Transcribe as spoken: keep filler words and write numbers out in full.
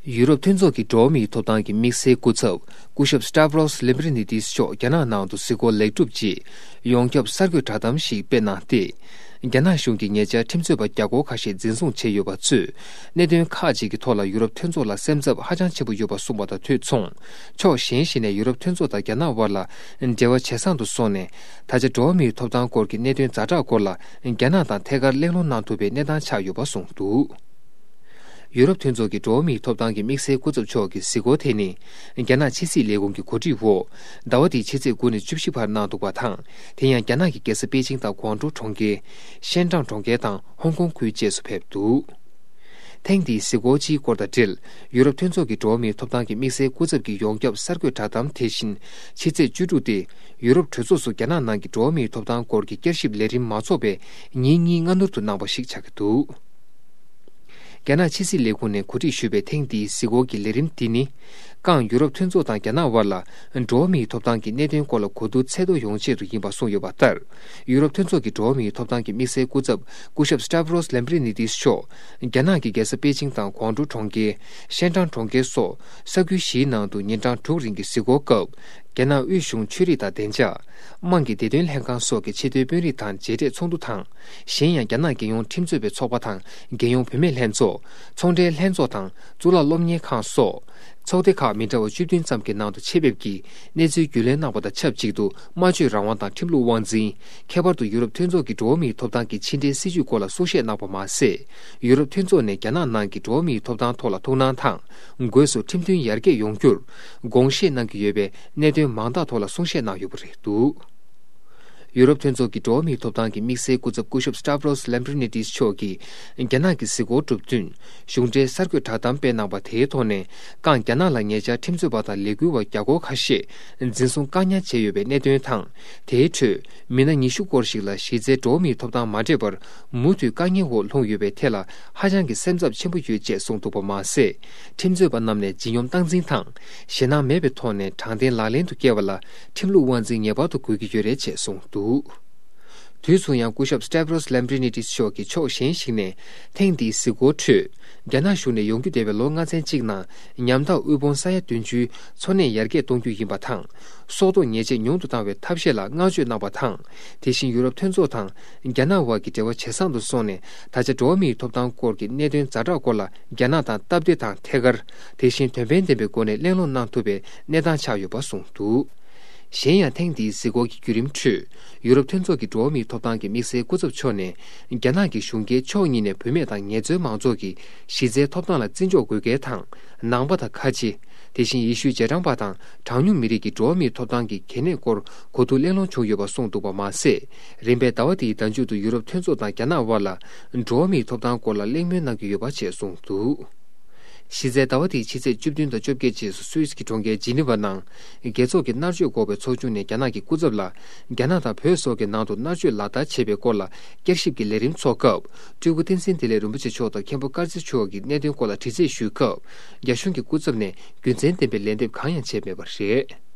ཡུ་རོབ་མཐུན་ཚོགས་ཀྱི་འགྲོ་བ་མིའི་ཐོབ་ཐང་གི་དམིགས་བསལ་སྐུ་ཚབ་སྐུ་ཞབས་Stavros Lambrinidis་མཆོག་རྒྱ་ནག་ནང་དུ་གཟིགས་སྐོར་ལེགས་གྲུབ་རྗེས། ཡོངས་ཁྱབ་གསར་འགོད་བསྒྲགས་གཏམ་ཞིག་སྤེལ་གནང་སྟེ། རྒྱ་ནག་གཞུང་གིས་ཉེ་ཆར་ཁྲིམས་རྩོད་པ་བརྒྱ་སྐོར་ཁ་ཤས་འཛིན་བཟུང་བྱས་ཡོད་པ་ཚོས། གནད་དོན་ཁག་ཅིག་གི་ཐོག་ལ་ཡུ་རོབ་མཐུན་ཚོགས་ལ་སེམས་འཚབ་ཧ་ཅང་ཆེན་པོ་ཡོད་པ་གསུངས་པ་དང་དུས་མཚུངས། ཕྱོགས་གཞན་ཞིག་ནས་ཡུ་རོབ་མཐུན་ཚོགས་དང་རྒྱ་ནག་དབར་ལ་འབྲེལ་བ་ཇེ་བཟང་དུ་སོང་ནས། ད་ཆ་འགྲོ་བ་མིའི་ཐོབ་ཐང་སྐོར་གྱི་གནད་དོན་ཛ་དྲག་སྐོར་ལ་རྒྱ་ནག་དང་ཐད་ཀར་གླེང་སློང་གནང་ཐུབ་པའི་གནས་སྟངས་ཆགས་ཡོད་པ་གསུངས་འདུག་ཡུ་རོབ་མཐུན་ཚོགས་ཀྱི་འགྲོ་བ་མིའི་ཐོབ་ཐང་གི་དམིགས་བསལ་སྐུ་ཚབ་མཆོག་གི་གཟིགས་སྐོར་དེ་ནི། རྒྱ་ནག་ཕྱི་སྲིད་ལས་ཁུངས་ཀྱི་གོ་སྒྲིག་འོག་ཟླ་བ་འདིའི་ཕྱི་ཚེས་དགུ་ནས་བཅུ་བཞི་བར་གནང་འདུག་པ་དང་། དེ་ཡང་རྒྱ་ནག་གི་རྒྱལ་ས་པེ་ཅིང་དང་ཀོང་ཀྲོའུ་གྲོང་ཁྱེར། ཤན་ཀྲང་གྲོང་ཁྱེར་དང་ཧོང་ཀོང་ཁུལ་བཅས་སུ་ཕེབས་འདུག་ཐེངས་འདིའི་གཟིགས་སྐོར་སྤྱིའི་སྐོར་དང་འབྲེལ། ཡུ་རོབ་མཐུན་ཚོགས་ཀྱི་འགྲོ་བ་མིའི་ཐོབ་ཐང་གི་དམིགས་བསལ་སྐུ་ཚབ་ཀྱི་ཡོངས་ཁྱབ་གསར་འགོད་བསྒྲགས་གཏམ་དེ་བཞིན་ཕྱི་ཚེས་བཅུ་དྲུག་སྟེ། ཡུ་རོབ་གྲོས་ཚོགས་སུ་རྒྱ་ནག་ནང་གི་འགྲོ་བ་མིའི་ཐོབ་ཐང་སྐོར་གྱི་བསྐྱར་ཞིབ་ལས་རིམ་མ་འཚོགས་པའི་ཉིན་གཉིས་སྔ་སྣུར་དུ་གནང་བ་ཞིག་ཆགས་ཀྱི་འདུག་རྒྱ་ནག་ཕྱི་སྲིད་ལས་ཁུངས་ནས་གོ་སྒྲིག་ཞུས་པའི་ཐེངས་འདིའི་གཟིགས་སྐོར་གྱི་ལས་རིམ་འདི་ནི། ཀང་ཡུ་རོབ་མཐུན་ཚོགས་དང་རྒྱ་ནག་དབར་ལ་འགྲོ་བ་མིའི་ཐོབ་ཐང་གི་གནད་དོན་སྐོར་ལ་གོ་བསྡུར་ཚད་མཐོ་ཡོང་ཆེད་དུ་ཡིན་པ་གསུངས་ཡོད་པ་ལྟར། ཡུ་རོབ་མཐུན་ཚོགས་ཀྱི་འགྲོ་བ་མིའི་ཐོབ་ཐང་གི་དམིགས་བསལ་སྐུ་ཚབ་སྐུ་ཞབས་Stavros Lambrinidis་མཆོག་རྒྱ་ནག་གི་རྒྱལ་ས་པེ་ཅིང་དང་ཀོང་ཀྲོའུ་གྲོང་ཁྱེར། ཤན་ཀྲང་གྲོང་ཁྱེར་སོགས་ས་ཁུལ་བཞིའི་ནང་དུ་ཉིན་གྲངས་དྲུག་རིང་གི་གཟིགས་སྐོར་སྐབས། རྒྱ་ནག་དབུས་གཞུང་ཆོས་རིག་དང་བདེ་འཇགས། དམངས་ཀྱི་བདེ་དོན་ལྷན་ཁང་སོགས་ཀྱི་ཆེས་མཐོའི་དཔོན་རིགས་དང་མཇལ་འཕྲད་ཚོགས་འདུ་དང་། གཞན་ཡང་རྒྱ་ནག་རྒྱལ་ཡོངས་ཁྲིམས་རྩོད་པའི་ཚོགས་པ་དང་རྒྱལ་ཡོངས་བུད་མེད་ལྷན་ཚོགས། ཚོང་འབྲེལ་ལྷན་ཚོགས་དང་གཙུག་ལག་སློབ་གཉེར་ཁང་སོགས། ཚོགས་སྡེ་ཁག་མི་འདྲ་བ་བཅུ་བདུན་ཙམ་གྱི་ནང་དུ་ཆེད་ཕེབས་ཀྱིས་གནས་ཚུལ་རྒྱུས་ལོན་གནང་བ་དང་ཆབས་ཅིག་ཏུ་སྨྲ་བརྗོད་རང་དབང་དང་ཁྲིམས་ལུགས་དབང་འཛིན། ཁྱད་པར་དུ་ཡུ་རོབ་མཐུན་ཚོགས་ཀྱི་འགྲོ་བ་མིའི་ཐོབ་ཐང་གི་ཕྱི་འབྲེལ་སྲིད་བྱུས་སྐོར་ལ་གསུང་བཤད་གནང་བ་མ་ཟད། ཡུ་རོབ་མཐུན་ཚོགས་ནས་རྒྱ་ནག་ནང་གི་འགྲོ་བ་མིའི་ཐོབ་ཐང་ཐོག་ལ་ཐུགས་སྣང་དང་། སྒོས་སུ་ཁྲིམས་མཐུན་ཡར་རྒྱས་ཡོང་རྒྱུར་དགོངས་བཞེས་གནང་གི་ཡོད་པའི་གནད་དོན་མང་དག་ཐོག་ལ་གསུང་བཤད་གནང་ཡོད་པ་རེད་འདུག་ཡུ་རོབ་མཐུན་ཚོགས་ཀྱི་འགྲོ་བ་མིའི་ཐོབ་ཐང་གི་དམིགས་བསལ་སྐུ་ཚབ་སྐུ་ཞབས་Stavros Lambrinidis་མཆོག་གིས་རྒྱ་ནག་གི་གཟིགས་སྐོར་གྲུབ་བསྟུན་གཞུང་འབྲེལ་གསར་འགོད་བསྒྲགས་གཏམ་སྤེལ་གནང་བ་དེའི་ཐོག་ནས། ཀང་རྒྱ་ནག་ལ་ཉེ་ཆར་ཁྲིམས་རྩོད་པ་དང་ལས་འགུལ་བ་བརྒྱ་སྐོར་ཁ་ཤས་འཛིན་བཟུང་བཀག་ཉར་བྱས་ཡོད་པའི་གནད་དོན་དང་། དེའི་ཁྲོད་མི་སྣ་ཉི་ཤུ་སྐོར་ཞིག་ལ་གཞི་རྩའི་འགྲོ་བ་མིའི་ཐོབ་ཐང་མ་སྤྲད་པར་མུ་མཐུད་བཀག་ཉར་འོག་ལྷུང་ཡོད་པའི་ཐད་ལ་ཧ་ཅང་གི་སེམས་འཚབ་ཆེན་པོ་ཡོད་ཅེས་གསུངས་འདུག་པ་མ་ཟད། ཁྲིམས་རྩོད་པ་རྣམས་ནས་ལྗིད་སྙོམས་སྟངས་འཛིན་དང་། ཞེད་སྣང་མེད་པའི་ཐོག་ནས་དྲང་བདེན་ལག་ལེན་དུ་བསྐྱལ་བ་ལ་ཁྲིམས་ལུགས་དབང་འཛིན་ངེས་པར་དུ་དགོས་ཀྱི་ཡོད་རེད་ཅེས་གསུངས་འདུག་དུས་མཚུངས་ཡང་སྐུ་ཞབས་Stavros Lambrinidis་མཆོག་གིས་ཕྱོགས་གཞན་ཞིག་ནས་ཐེངས་འདིའི་གཟིགས་སྐོར་ཁྲོད། རྒྱ་ནག་གཞུང་ནས་ཡོང་རྒྱུ་བསྡད་པའི་ལོ་ལྔ་ཚན་གཅིག་ནང་ཉམ་ཐག་དབུལ་ཕོངས་ས་ཡ་བདུན་ཅུའི་འཚོ་གནས་ཡར་རྒྱས་གཏོང་རྒྱུ་ཡིན་པ་དང་། སྲོག་ཐོག་ཉེས་ཆད་ཉུང་དུ་བཏང་བའི་ཐབས་ཤེས་ལ་བསྔགས་བརྗོད་གནང་བ་དང་། དེ་བཞིན་ཡུ་རོབ་མཐུན་ཚོགས་དང་རྒྱ་ནག་དབར་གྱི་འབྲེལ་བ་ཇེ་བཟང་དུ་སོང་ནས། ད་ཆ་འགྲོ་བ་མིའི་ཐོབ་ཐང་སྐོར་གྱི་གནད་དོན་ཛ་དྲག་སྐོར་ལ་རྒྱ་ནག་དང་སྟབས་བདེ་དང་ཐད་ཀར། དེ་བཞིན་དོན་ཕན་ལྡན་པའི་སྒོ་ནས་གླེང་སློང་གནང་ཐུབ་པའི་གནས་སྟངས་ཆགས་ཡོད་པ་གསུངས་འདུག་གཞན་ཡང་ཐེངས་འདིའི་གཟིགས་སྐོར་གྱི་བརྒྱུད་རིམ་ཁྲོད། ཡུ་རོབ་མཐུན་ཚོགས་ཀྱི་འགྲོ་བ་མིའི་ཐོབ་ཐང་གི་དམིགས་བསལ་སྐུ་ཚབ་མཆོག་ནས། རྒྱ་ནག་གི་གཞུང་སྒེར་ཕྱོགས་གཉིས་ནས་བུད་མེད་དང་ངལ་རྩོལ་མང་ཚོགས་ཀྱི་གཞི་རྩའི་ཐོབ་ཐང་ལ་བརྩི་འཇོག་དགོས་གལ་དང་། ནང་པ་དང་ཁ་ཆེ། དེ་བཞིན་ཡེ་ཤུའི་རྗེས་འབྲང་པ་དང་གྲངས་ཉུང་མི་རིགས་ཀྱི་འགྲོ་བ་མིའི་ཐོབ་ཐང་གི་གལ་གནད་སྐོར་གོ་བསྡུར་གླེང་སློང་བྱུང་ཡོད་པ་གསུངས་འདུག་པ་མ་ཟད། རིམ་པས་ཟླ་བ་འདིའི་ཟླ་མཇུག་ཏུ་ཡུ་རོབ་མཐུན་ཚོགས་དང་རྒྱ་ནག་དབར་ལ་འགྲོ་བ་མིའི་ཐོབ་ཐང་སྐོར་ལ་གླེང་མོལ་གནང་གི་ཡོད་པ་བཅས་གསུངས་འདུག་གཞི་རྩའི་ཟླ་བ་འདིའི་ཕྱི་ཚེས་བཅུ་བདུན་དང་བཅོ་བརྒྱད་བཅས་སུ་སུད་སི་གི་གྲོང་ཁྱེར་ཇི་ནི་ཝ་ནང་། རྒྱལ་ཚོགས་ཀྱི་མནར་གཅོད་འགོག་པའི་ཚོགས་ཆུང་ནས་རྒྱ་ནག་གི་སྐུ་ཚབ་ལ། རྒྱ་ནག་དང་བོད་སོགས་ཀྱི་ནང་དུ་མནར་གཅོད་ལག་བསྟར་བྱེད་པའི་སྐོར་ལ་བསྐྱར་ཞིབ་ཀྱི་ལས་རིམ་འཚོགས་སྐབས། སྤྲུལ་སྐུ་བསྟན་འཛིན་བདེ་ལེགས་རིན་པོ་ཆེ་མཆོག་དང་མཁན་པོ་དཀར་ཚེ་མཆོག་གིས་གནད་དོན་སྐོར་ལ་དྲི་རྩད་ཞུས་སྐབས། རྒྱ་གཞུང་གི་སྐུ་ཚབ་ནས་རྒྱུ་མཚན་ལྡན་པའི་ལན་འདེབས་གང་ཡང་བྱས་མེད་པ་རེད།